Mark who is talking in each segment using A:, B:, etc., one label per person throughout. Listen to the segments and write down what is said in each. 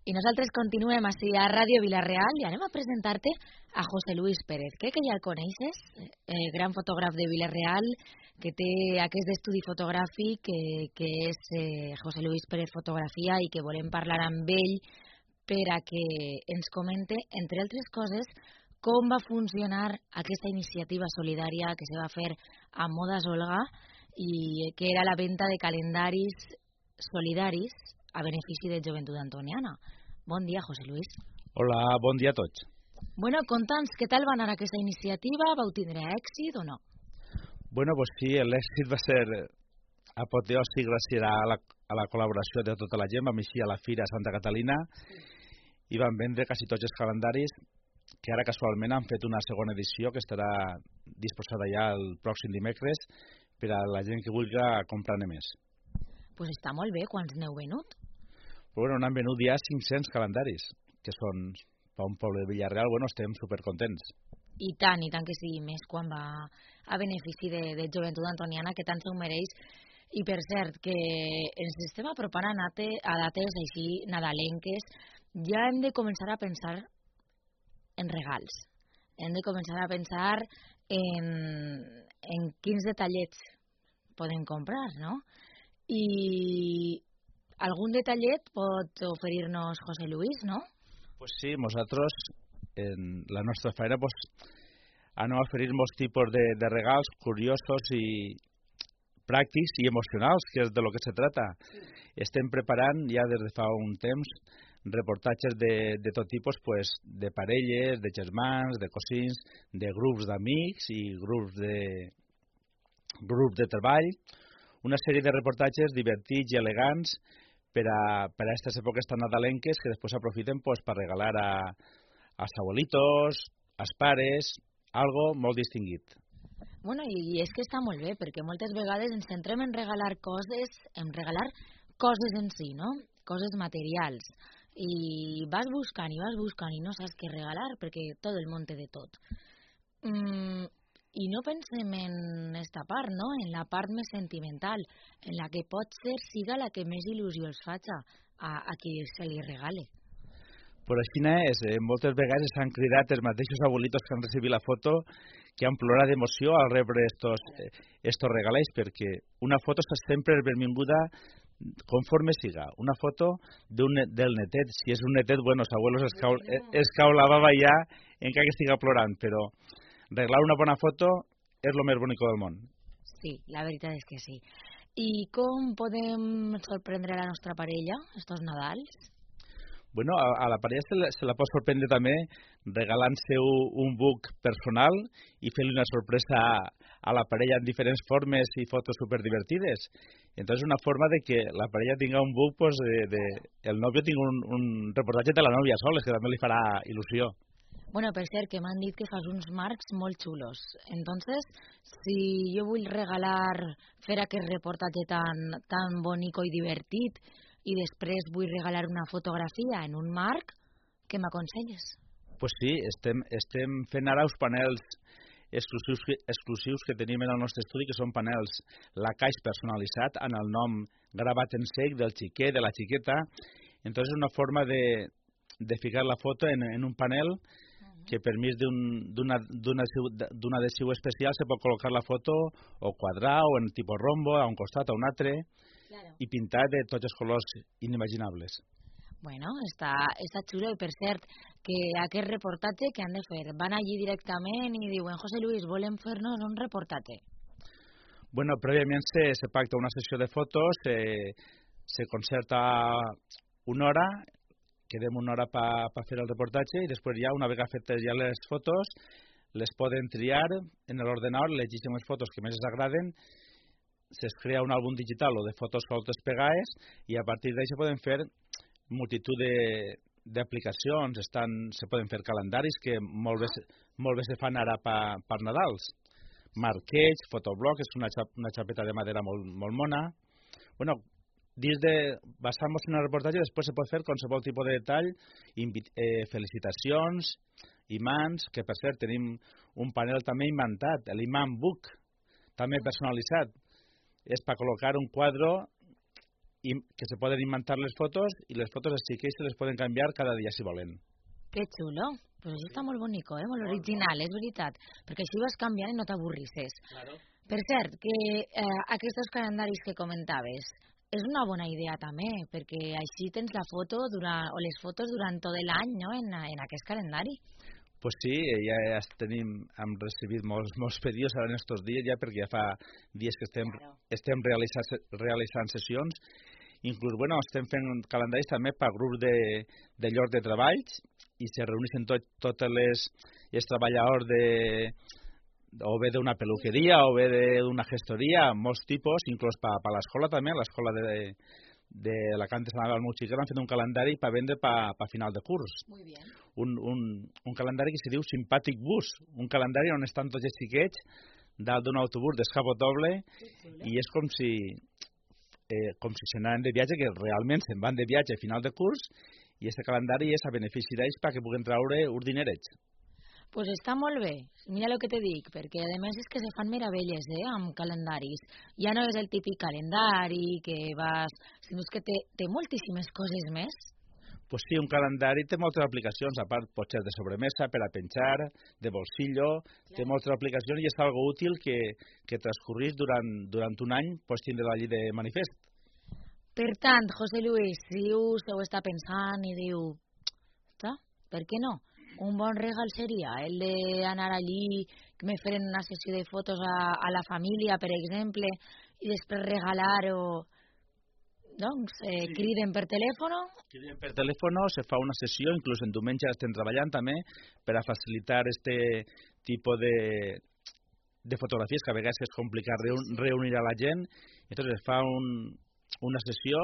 A: I nosaltres continuem així a Ràdio Vila-real i anem a presentar-te a José Luis Pérez, crec que ja el coneixes, gran fotògraf de Vila-real, que té aquest estudi fotogràfic que és José Luis Pérez Fotografia i que volem parlar amb ell per a que ens comente, entre altres coses, com va funcionar aquesta iniciativa solidària que se va fer a Modas Olga i que era la venda de calendaris solidaris a benefici de Joventut Antoniana. Bon dia, José Luis.
B: Hola, bon dia a tots.
A: Bueno, conta'ns, què tal va anar aquesta iniciativa? Vau tindre èxit o no?
B: Bueno, pues sí, l'èxit va ser apoteòsic gràcies a la col·laboració de tota la gent. Vam eixir a la Fira Santa Catalina i vam vendre quasi tots els calendaris, que ara casualment han fet una segona edició que estarà disposada ja el pròxim dimecres per a la gent que vulgui comprar-ne més.
A: Pues està molt bé, quants n'heu venut?
B: Bueno, n'han venut ja 500 calendaris, que són, per un poble de Vila-real, bueno, estem supercontents.
A: I tant que sigui més quan va a benefici de Joventut Antoniana, que tant se ho mereix. I per cert, que ens estem apropant a dates així nadalenques, ja hem de començar a pensar en regals. Hem de començar a pensar en quins detallets podem comprar, no? I algun detallet pot oferir-nos José Luis, no?
B: Pues sí, nosaltres, en la nostra feina, pues, anem a oferir molts tipus de regals curiosos i pràctics i emocionals, que és de lo que se trata. Sí. Estem preparant ja des de fa un temps reportatges de tot tipus, pues, de parelles, de germans, de cosins, de grups d'amics i grups de treball, una sèrie de reportatges divertits i elegants per a aquestes èpoques tan nadalenques que després s'aprofiten pues, per regalar als abuelitos, als pares, algo molt distinguit.
A: Bueno, i és que està molt bé, perquè moltes vegades ens centrem en regalar coses en si, no? Coses materials. I vas buscant i no saps què regalar, perquè tot el món té de tot. I no pensem en esta part, no? En la part més sentimental, en la que potser siga la que més il·lusió els faci a qui se li regale.
B: Però així és, moltes vegades s'han cridat els mateixos abuelitos que han recibit la foto que han plorat d'emoció al rebre estos regalets, perquè una foto està sempre benvinguda conforme siga. Una foto del netet, si és un netet, bueno, els abuelos es cau la baba ja encara que estiga plorant, però regalar una bona foto és el més bonic del món.
A: Sí, la veritat és que sí. I com podem sorprendre la nostra parella estos Nadals?
B: Bueno, a la parella se la pot sorprendre també regalant-se un book personal i fent-li una sorpresa a la parella en diferents formes i fotos superdivertides. Entonces, una forma de que la parella tinga un book, pues, el novio tinga un reportatge de la novia soles, que també li farà il·lusió.
A: Bueno, per cert, que m'han dit que fas uns marcs molt xulos. Entonces, si jo vull fer aquest reportatge tan bonico i divertit i després vull regalar una fotografia en un marc, què m'aconselles?
B: Pues sí, estem fent ara uns panels exclusius que tenim en el nostre estudi, que són panels lacaix personalitzat amb el nom gravat en sec del xiquet, de la xiqueta. Entonces, és una forma de ficar la foto en un panel que per mig d'un adhesiu especial se pot col·locar la foto o quadrar o en tipus rombo a un costat o a un altre, claro, i pintar de tots els colors inimaginables.
A: Bueno, està xulo, i per cert, que aquest reportatge que han de fer, van allí directament i diuen, José Luis, volem fer-nos un reportatge.
B: Bueno, prèviament se pacta una sessió de fotos, se concerta una hora, quedem una hora per fer el reportatge i després ja, una vegada fetes ja les fotos, les poden triar en l'ordenador, llegeixen les fotos que més els agraden, se'ls crea un àlbum digital o de fotos soltes pegades i a partir d'això poden fer multitud d'aplicacions, se poden fer calendaris que molt bé se fan ara per Nadals, marquets, fotoblocs, és una xapeta de madera molt mona. Bueno, basant-nos en el reportatge, després se pot fer qualsevol tipus de detall, felicitacions, imants, que per cert tenim un panel també inventat, l'imant book, també personalitzat. És per col·locar un quadre que se poden inventar les fotos i les fotos els xiquets se les poden canviar cada dia si volen.
A: Que xulo. Pues això està molt bonico, molt original, és veritat. Perquè així vas canviant i no t'avorrisses.
B: Claro.
A: Per cert, que aquests calendaris que comentaves és una bona idea també, perquè així tens la foto o les fotos durant tot l'any, no?, en aquest calendari.
B: Pues sí, ja hem recibit molts pedidos ara en estos dies, ja perquè ja fa dies que estem realitzant sessions. Inclús, estem fent calendaris també per grups de llocs de treballs i se reuneixen tots els treballadors o bé d'una peluqueria o bé d'una gestoria, molts tipus, inclús per l'escola també, l'escola de la Cante Sant Adal Montxiquer han fet un calendari per vendre per final de curs.
A: Muy bien.
B: Un calendari que se diu Simpàtic Bus, un calendari on estan tots els xiquets dalt d'un autobús descapotable i és com si se n'anaven de viatge, que realment se'n van de viatge a final de curs i aquest calendari és a benefici d'ells perquè puguen treure uns dinerets.
A: Pues està molt bé, mira el que te dic, perquè a més és que se fan meravelles amb calendaris. Ja no és el típic calendari que vas... sinó que té moltíssimes coses més.
B: Pues sí, un calendari té moltes aplicacions, a part pot ser de sobremesa, per a penjar, de bolsillo, té moltes aplicacions i és algo útil que transcorrís durant un any pots tindre allí de manifest.
A: Per tant, José Luis, si us ho està pensant i diu, per què no? Un bon regal seria el d'anar allí, que me feren una sessió de fotos a la família, per exemple, i després regalar-ho. Doncs, criden per telèfon.
B: Criden per telèfon, se fa una sessió, inclús en diumenge estem treballant també, per a facilitar este tipus de fotografies, que a vegades és complicat reunir a la gent. Entonces es fa una sessió,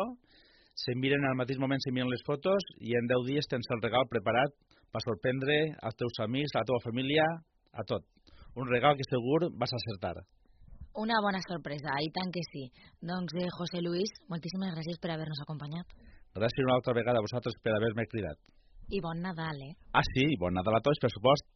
B: se miren al mateix moment, se miren les fotos, i en 10 dies tens el regal preparat per sorprendre als teus amics, a la teva família, a tot. Un regal que segur vas acertar.
A: Una bona sorpresa, i tant que sí. Doncs, José Luis, moltíssimes gràcies per haver-nos acompanyat.
B: Gràcies una altra vegada a vosaltres per haver-me cridat.
A: I bon Nadal,
B: Ah, sí, bon Nadal a tots, per supost.